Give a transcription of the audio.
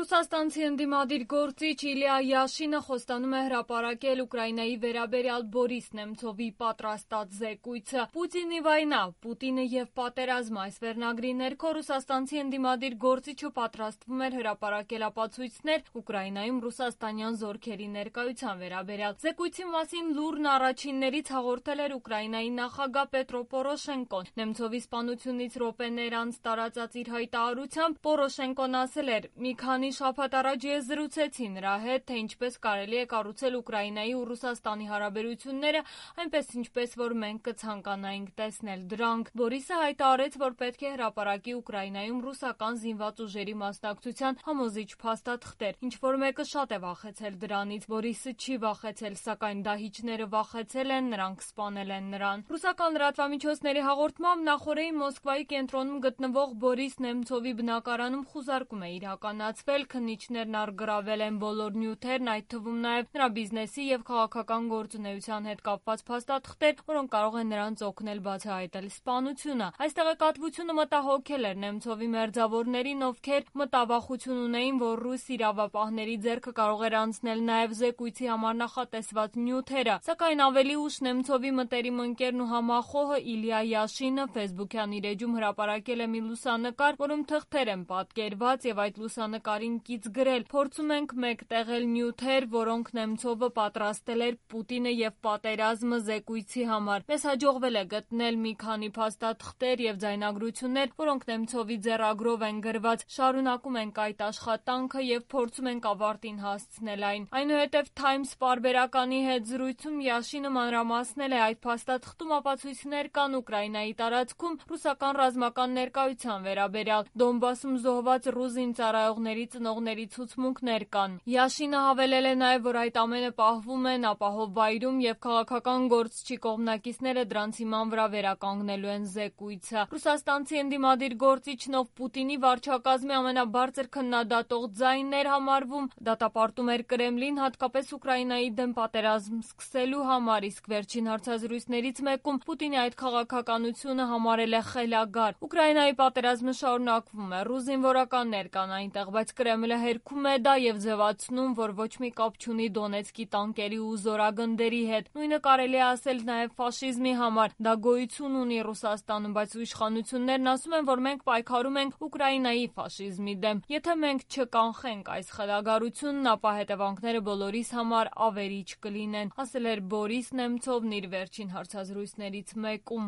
Ռուսաստանցի ընդդիմադիր գործիչ Իլիա Յաշինը խոստանում է հրապարակել Ուկրաինայի վերաբերյալ Բորիս Նեմցովի պատրաստած զեկույցը։ «Պուտինի վայնա, Պուտինը եւ պատերազմը» այս վերնագրի ներքո ռուսաստանցի ընդդիմադիր գործիչը պատրաստվում էր հրապարակել ապացույցներ Ուկրաինայում ռուսաստանյան զորքերի ներկայության վերաբերյալ։ Զեկույցի մասին լուրն առաջիններից հաղորդել էր Ուկրաինայի նախագահ Պետրո Պորոշենկոն։ Նեմցովի սպանությունից րոպեներ անց տարածած իր հայտարարությամբ Պորոշենկոն ասել էր. «Մի քանի շաբաթ առաջ ես զրուցեցի նրա հետ, թե ինչպես կարելի է կառուցել Ուկրաինայի ու Ռուսաստանի հարաբերությունները, այնպես ինչպես որ մենք կցանկանայինք տեսնել դրանք»։ Բորիսը հայտարարեց, որ պետք է հրապարակի Ուկրաինայում ռուսական զինված ուժերի մասնակցության համոզիչ փաստաթղթեր։ Ինչ-որ մեկը շատ է վախեցել դրանից։ Բորիսը չի վախեցել, սակայն դահիճները վախեցել են, նրանք սպանել են նրան։ Ռուսական լրատվամիջոցների հաղորդմամբ նախօրեին Մոսկվայի կենտրոնում գտնվող Բորիս Նեմցովի բնակարանում խուզարկում է իրականացվել, քննիչներն առգրավել են բոլոր նյութերն, այդ թվում նաև նրա բիզնեսի եւ քաղաքական գործունեության հետ կապված փաստաթղթեր, որոնք կարող են նրանց օգնել բացահայտել սպանությունը։ Այս տեղեկատվությունը մտահոգել էր Նեմցովի մերձավորներին, ովքեր մտավախություն ունեին, որ ռուս իրավապահների ձեռքը կարող էր անցնել նաև զեկույցի համար նախատեսված նյութերը։ Սակայն ավելի ուշ Նեմցովի մտերիմ ընկերն ու համախոհը Իլիա Յաշինը Facebook-յան իր էջում հրապարակել է մի լուսանկար, որում թղթեր են պատկերված եւ այդ լուսանկարին կից գրել. «Փորձում ենք մեկտեղել նյութեր, որոնք Նեմցովը պատրաստել էր Պուտինը եւ պատերազմը զեկույցի համար։ Մեզ հաջողվել է գտնել մի քանի փաստաթղթեր եւ ձայնագրություններ, որոնք Նեմցովի ձեռագրով են գրված։ Շարունակում ենք այդ աշխատանքը եւ փորձում ենք ավարտին հասցնել այն»։ Այնուհետև Times պարբերականի հետ զրույցում Յաշինը մանրամասնել է. «Այդ փաստաթղթում ապացույցներ կան Ուկրաինայի տարածքում ռուսական ռազմական ներկայության վերաբերյալ։ Դոնբասում զոհված ռուս զինծառայողների ծնողների ցուցմունքներ կան»։ Յաշինը հավելել է նաև, որ այդ ամենը պահվում են ապահով վայրում եւ քաղաքական գործչի կողմնակիցները դրանց հիման վրա վերականգնելու են զեկույցը։ Ռուսաստանցի ընդդիմադիր գործիչն, ով Պուտինի վարչակազմի ամենաբարձր քննադատող ձայնն էր համարվում, դատապարտում էր Կրեմլին հատկապես Ուկրաինայի դեմ պատերազմ սկսելու համար, իսկ վերջին հարցազրույցներից մեկում Պուտինի այդ քաղաքականությունը համարել է խելագար։ Ուկրաինայի պատերազմը շարունակվում է, ռուս զինվորականներ կան այնտեղ, բայց Կրեմլը հերքում է դա եւ ձևացնում, որ ոչ մի կապ չունի Դոնեցկի տանկերի ու զորագնդերի հետ։ Նույնը կարելի է ասել նաեւ ֆաշիզմի համար։ Դա գոյություն ունի Ռուսաստանում, բայց իշխանություններն ասում են, որ մենք պայքարում ենք Ուկրաինայի ֆաշիզմի դեմ։ Եթե մենք չկանխենք այս խելագարությունն, ապա հետևանքները բոլորիս համար ավերիչ կլինեն, ասել էր Բորիս Նեմցովն իր վերջին հարցազրույցներից մեկում։